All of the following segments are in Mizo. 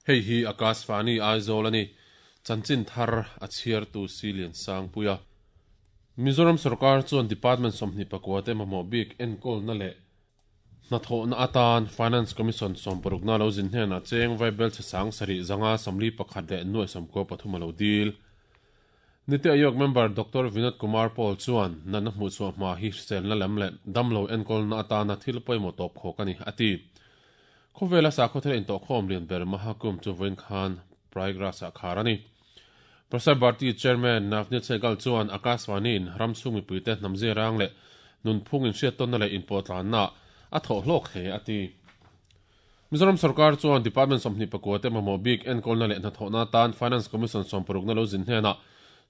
Hei hi Akashvani Aizawl a ni. Chanchin thar a chhiartu Silian Sangpuia. Mizoram sorkar chuan Department 24 te mamawh bik enkawlna leh hnathawhna atan Finance Commission 60na lo zin hnenah cheng vaibelchhe 7541 leh nuai 93 a lo dil. Niti Aayog member Doctor Vinod Kumar Paul chuan natna hmuhchhuah hma hi hriselna lam leh damlo enkawlna atana thil pawimawh tawp khawk a ni, a ti. Khawvela sakhaw thil intawhkhawm lian ber Mahakumbh chu vawiin khan Prayagraj-ah khar a ni. Prasar Bharati Chairman Navneet Sehgal chuan Akashvani-in ram chhung mipuite hnam zirang leh nunphung inhriattawnna leh inpawhtlanna a thawh hlawk hle, a ti. Mizoram sorkar chuan Department 29 te mamawh bik enkawlna leh hnathawhna atan Finance Commission 60 na lo zin hnenah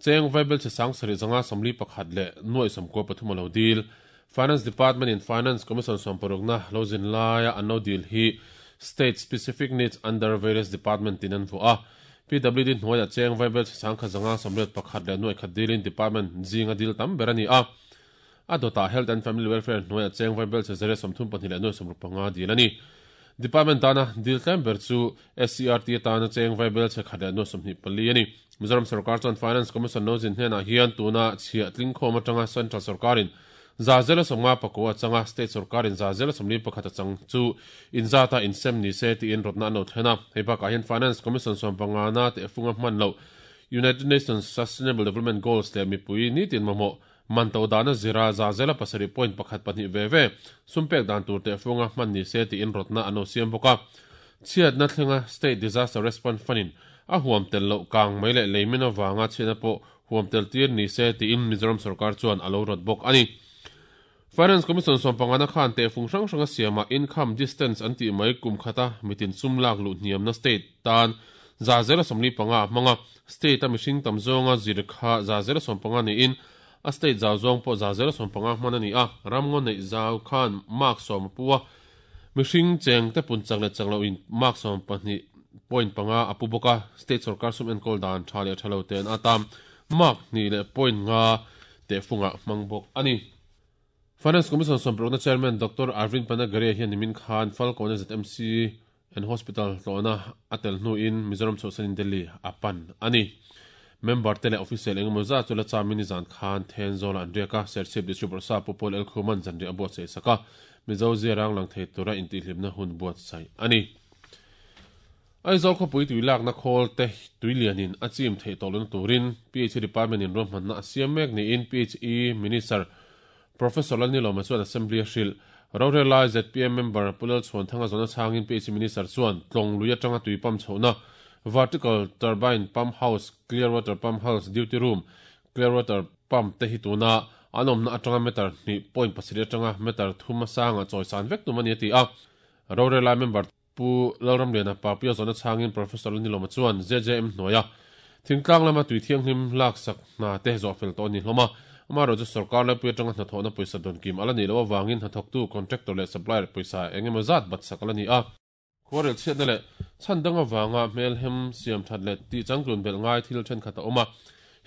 cheng vaibelchhe 7541 leh nuai 93 a lo dil. Finance Department in Finance Commission 60 na lo zin laia an lo dil hi State Specific Needs Under Various Department tin an vuah a. PWD hnuaiah cheng vaibelchhe 1581 leh nuai khat dilin Department zinga dil tam ber a ni a. A dawtah Health and Family Welfare hnuaiah cheng vaibelchhe 132 leh nuai 65 dil a ni. Department tana dil tlem ber chu SCERT atana cheng vaibelchhe khat leh nuai 24 a ni. Mizoram sorkar chuan Finance Commission lo zin hnenah hian tuna chhiah tlingkhawm atanga Central sorkarin 50% a chang a, State sorkarin 41% a chang chu inzata insem ni se tiin rawtna an lo thlen a. Hei bakah hian Finance Commission 15na tehfunga hman loh United Nations Sustainable Development Goals leh mipui nitin mamawh Man to dana zira 7% point pakhat pahnih ve ve sum pek dan tur tehfunga hman ni se tiin rawtna an lo siam bawk a. Chhiatna thlenga State Disaster Response Fund-in a huam tel loh kang mai leh leimin avanga chhiatna pawh huam tel tir ni se tiin Mizoram sorkar chuan a lo rawt bawk a ni. Finance Commission 15na khan tehfung hrang hranga siamah income distance an tih mai kum khata mitin sum lak luh hniamna state tan 45% a hmang a, state-a mihring tam zawnga zir kha 15% niin a state zau zawng pawh 15% hman a ni a, ramngaw neih zau khan mark 10 a pu a, mihring cheng te pun chak leh chak lohin mark 12 point panga a pu bawk a, state sorkar sum enkawl dan tha leh tha lo te'n a tam mark hnih leh point nga tehfungah hmang bawk a ni. Finance Commission 60na Chairman Doctor Arvind Panagariya hian nimin khan Falkawn ZMC and Hospital tlawhna a tel hnuin Mizoram chhuahsanin Delhi a pan a ni. Member te leh official engemaw zat chu la chamin nizan khan Thenzawl-ah an riak a, Serchhip District Bawrhsap Pu Paul Elkhuman zanriah a buatsaih sak a, Mizo ziarang lang thei tura intihhlimna hun buatsaih a ni. Aizawl khawpui tui lakna khawl te tui lianin a chim theih tawh lohna turin PHE Department in ruahmanna a siam mek niin PHE Minister Professor Lalnilawma chuan Assembly a hrilh. Rorel lai zpm member Pu Lalchhuanthanga zawhna chhangin PHE Minister chuan Tlawng lui atanga tui pump chhohna Vertical Turbine Pump House, Clear Water Pump House, Duty Room, Clear Water Pump te hi tuna an awmna atanga meter hnih point pasarih atanga meter thum a sangah chawisan vek tum a ni a ti a. Rorel lai member Pu Lalramliana Papia zawhna chhangin Professor Lalnilawma chuan JJM hnuaia thingtlang lama tui thianghlim laksak hna te zawh fel tawh a ni hlawm a. Amaherawhchu sorkar laipui atanga hnathawhna pawisa dawn kim a la nih loh avangin hnathawktu contractor leh supplier pawisa eng emaw zat bat sak a la ni a. Khuarel chhiatna leh chhan dang avanga hmelhem siam that leh tih changtlun belh ngai thil thenkhat a awm a,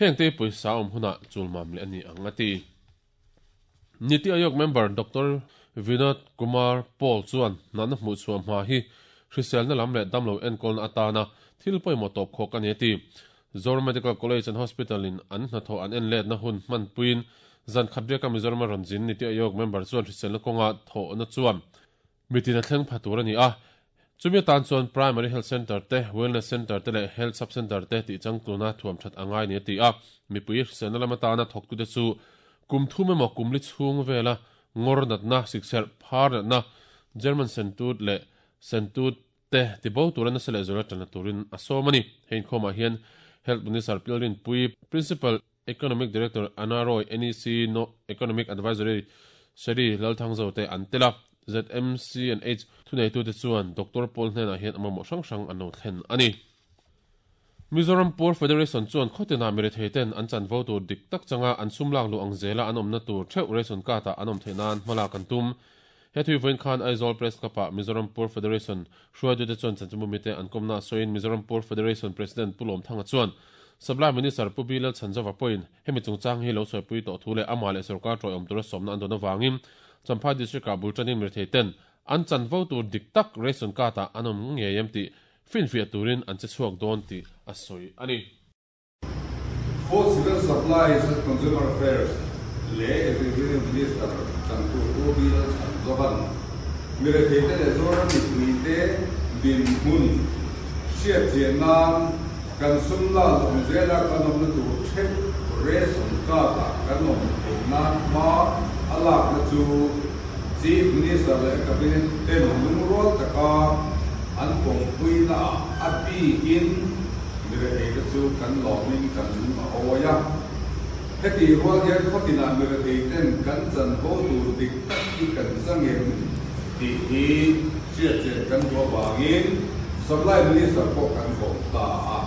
hengte pawisa awm hunah chulmam leh a ni ang a ti. Niti Aayog member Doctor Vinod Kumar Paul chuan natna hmuhchhuah hma hi hriselna lam leh damlo enkawlna atana thil pawimawh tawp khawk a ni a ti. Zoram Medical College and Hospital in an hnathawh an en letna hun hmanpuiin zan khat riaka Mizorama rawn zin Niti Aayog member chuan hriselna kawnga thawhna chuan Mitin a thleng pha tur a ni a, chumi atan chuan Primary Health Centre te, Wellness Centre te leh Health Sub Centre te tih changtluna thuam that a ngai ni a ti a. Mipui hriselna lam atana thawktute chu kum thum emaw kum li chhung vela ngawr natna, sikserh, phar natna, German sentut leh sentut te tibo tura nasa leh zuala tanna turin a sawm a ni. Hei inkhawmah hian Health Minister Pilrinpui, Principal Economic Director Anna Roy, NEC No Economic Advisory Seri Lalthangzo te an tel a. ZMC and H thuneitute chuan Doctor Paul hnenah hian a mamawh hrang hrang an lo thlen a ni. Mizoram Poor Federation chuan khawtinah mirethei ten an chanvo tur dik tak changa an sum lak luh ang zela an awmna tur theuh ration card ah an awm theih nan hmalak an tum. He thui vawiin khan Aizawl Press Club ah Mizoram Poor Federation hruaitute chuan chanchinbumite an kawmna sawiin Mizoram Poor Federation President Pu Lawmthanga chuan Supply Minister Pu B Lalchhanzova pawhin hemi chungchang hi lo sawipui tawh thu leh amah leh sorkar tawiawm tura sawmna an dawn avangin Champhai District ah bul tanin mirethei ten an chanvo tur dik tak ration card ah an awm ngei em tih finfiah turin an che chhuak dawn tih a sawi a ni. Food Civil Supplies and Consumer Affairs leh Executive Minister changtu Pu Bill Chhanzovan miretheite leh Zoram mipuite dinhmun hriatchian nan kan sum lak awm zela kan awmna tur theuh ration card-ah kan awm theih nan hma a lakna chu Chief Minister leh Cabinet ten lungrual taka an pawmpuinaah a bikin miretheite chu kan lawmin kan lung a awi a. Heti rual hian khawtinah miretheiten kan chanvo tur dik tak hi kan chang em tih hi hriatchian kan duh avangin Supply Minister pawh kan kawm ta a.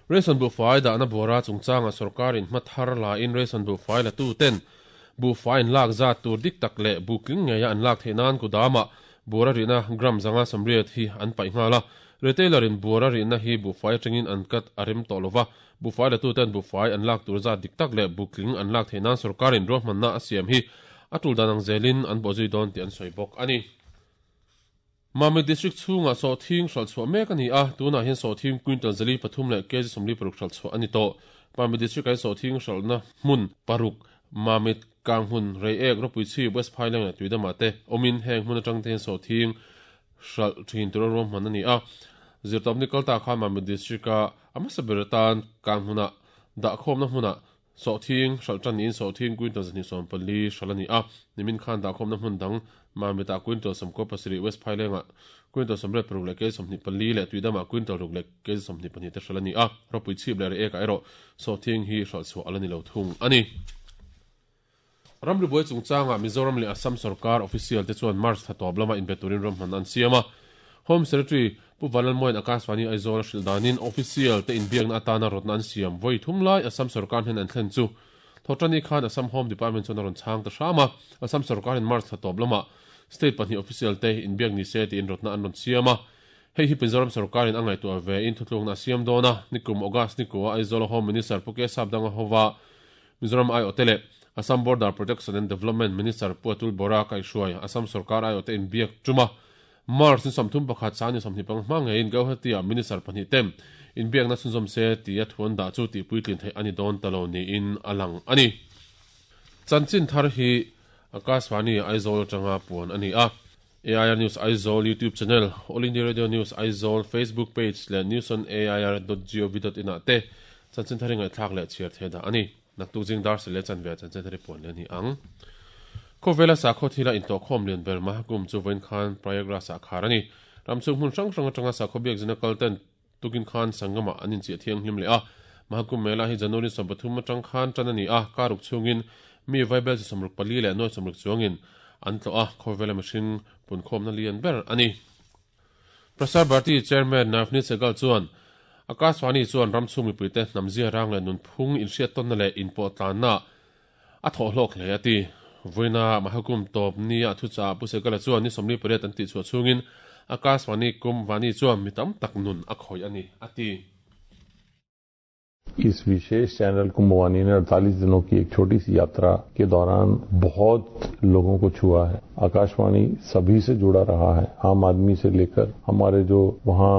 Ration buhfai dahna buara chungchanga sorkarin hma thar lain ration buhfai latuten buhfai an lak zat tur dik tak leh buh tling ngeia an lak theih nan kudamah buara rihna gram 580 hi an paih nghal a. Retailer-in buara rihna hi buhfai atangin an cut a rem tawh lova, buhfai latuten buhfai an lak tur zat dik tak leh buh tling an lak theih nan sorkarin ruahmanna a siam hi a tul dan ang zelin an bawhzui dawn tih an sawi bawk a ni. Mamit District chhungah sawhthing hralh chhuah mek a ni a, tunah hian sawhthing quintal 403 leh kg 46 hralh chhuah a ni tawh. Mamit District-ah hian sawhthing hralhna hmun paruk, Mamit, Kanghmun, Reiek, Rawpuichhip, West Phaileng leh Tuidamah te awmin heng hmun atang te hian sawhthing hralh thin tura ruahman a ni a. Zirtawpni kalta khan Mamit District-a a hmasa ber atan Kanghmunah dahkhawmna hmunah Sawhthing hralh tan niin sawhthing quintal 240 hralh a ni a, nimin khan dahkhawmna hmun dang Mamitah quintal 97, West Phailengah quintal 86 leh kg 24 leh Tuidamah quintal ruk leh kg 22 te hralh a ni a, ropui chhip leh reh ekah erawh sawhthing hi hralh chhuah a la ni lo thung a ni. Ramri buai chungchangah Mizoram leh Assam sorkar official te chuan March thla tawp lama inbe turin ramhman an siam a, Home Secretary Pu Vanlalmuain Akashvani Aizawl a hrilh danin official te inbiakna atana rawtna an siam vawi thum lai Assam sorkar hnen an thlen chu Thawhṭani khan Assam Home Department chuan a rawn chhang ta hram a, Assam sorkarin March thla tawp lamah state pahnih official te inbiak ni se tiin rawtna an rawn siam a. Hei hi Mizoram sorkarin a ngaihtuah ve in thutlukna a siam dawn a, nikum August nikua Aizawl a Home Minister Pu K Sapdanga hova Mizoram aiawhte leh Assam Border Protection and Development Minister Pu Atul Bora kaihhruai Assam sorkar aiawhte inbiak tum a, March ni 31 sang ni 25 hma ngeiin Guwahati-ah Minister pahnih te inbiakna chhunzawm se tia thu an dah chu tihpuitlin theih a ni dawn ta lo niin a lang a ni. Chanchin thar hi Akashvani Aizawl atanga puan a ni a. AIR News Aizawl YouTube channel, All India Radio News Aizawl Facebook page leh newsonair.gov.in ah te chanchin thar hi ngaihthlak leh chhiar thei dah a ni. Naktuk zing dar sele chanve ah chanchin thar hi puan leh a ni ang. Khawvela sakhaw thila intawhkhawm lian ber Mahakumbh chu vawiin khan Prayagraj ah khar a ni. Ramchhung hmun hrang hrang atanga sakhaw biakzina kal ten Tukin khan Sangam-ah an inchiah thianghlim leh a, Mahakumbh Mela hi January 13 atang khan tan a ni a, karuk chhungin mi vaibel chi 64 leh nuai 60 chuangin an tlawh a, khawvela mihring punkhawmna lian ber a ni. Prasar Bharati Chairman Navneet Sehgal chuan, Akashvani chuan ramchhung mipuite hnamzia rang leh nunphung inhriattawnna leh inpawhtlanna a thawh hlawk hle a ti. Vawiina Mahakumbh tawp nia thuchah Pu Segala chuan ni 48 an tihchhuah chhungin Akashvani Kumbh Vani chuan mi tam tak nun a khawih a ni, a ti. इस विशेष channel Kumbhvani ने 48 दिनों की एक छोटी सी यात्रा के दौरान बहुत लोगों को छुआ है। आकाशवाणी सभी से जुड़ा रहा है, आम आदमी से लेकर हमारे जो वहां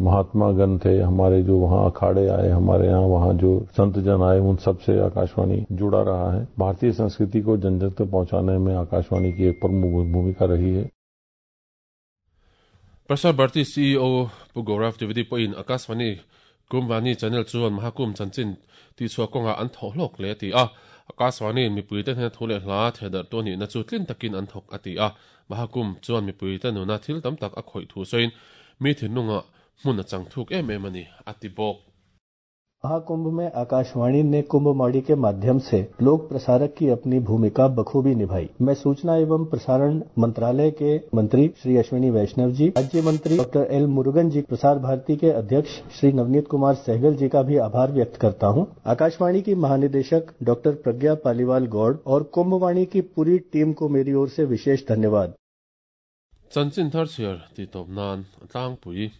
महात्मागण थे, हमारे जो वहां अखाड़े आए, हमारे यहां वहां जो संतजन आए, उन सबसे आकाशवाणी जुड़ा रहा है। भारतीय संस्कृति को जन जन तक पहुंचाने में आकाशवाणी की एक प्रमुख भूमिका रही है। Prasar Bharati CEO Pu Gaurav Dwivedi pawhin Akashvani Kumbhvani channel chuan Mahakumbh chanchin tihchhuah kawngah an thawh hlawk hle a ti a. Akashvani-in mipuite hnena thu leh hla thehdarh tu a nihna chu tlin takin an thawk a ti a. Mahakumbh chuan mipuite nuna thil tam tak a khawih thu sawiin mi thinlungah hmun a chang thuk em em a ni, a ti bawk. Mahakumbh में आकाशवाणी ने कुंभवाणी के माध्यम से लोक प्रसारक की अपनी भूमिका बखूबी निभाई। मैं सूचना एवं प्रसारण मंत्रालय के मंत्री श्री अश्विनी वैष्णव जी, राज्य मंत्री डॉक्टर एल मुरुगन जी, प्रसार भारती के अध्यक्ष श्री नवनीत कुमार सहगल जी का भी आभार व्यक्त करता हूं। आकाशवाणी की महानिदेशक डॉक्टर प्रज्ञा पालीवाल गौड़ और कुंभवाणी की पूरी टीम को मेरी ओर से विशेष धन्यवाद। Chanchin thar chhiar tih tawp nan a tlangpui.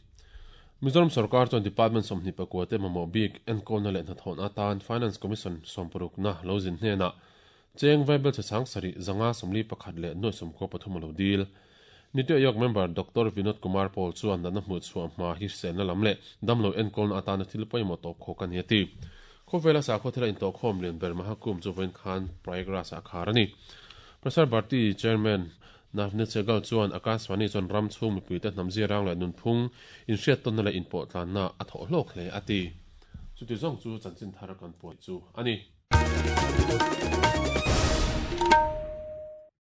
Mizoram sorkar chuan Department 24 te mamawh bik enkawlna leh hnathawhna atan Finance Commission sawmparukna lo zin hnenah cheng vaibel chhe sang sarih zanga 41 leh nuai 93 a lo dil. Niti Aayog member Doctor Vinod Kumar Paul chuan natna hmuh chhuah hma hi hriselna lam leh damlo enkawlna atana thil pawimawh tawp khawk a ni a ti. Khawvela sakhaw thila intawhkhawm lian ber Mahakumbh chu vawiin khan Prayagraj-ah a khar a ni. Prasar Bharti Chairman Navneet Sehgal chuan Akashvani chuan ram chhung mipuite hnam ziarang leh nunphung inhriattawnna leh inpawhtlanna a thawh hlawk hle a ti. Chuti zawng chu chanchin thar kan puan chu a ni.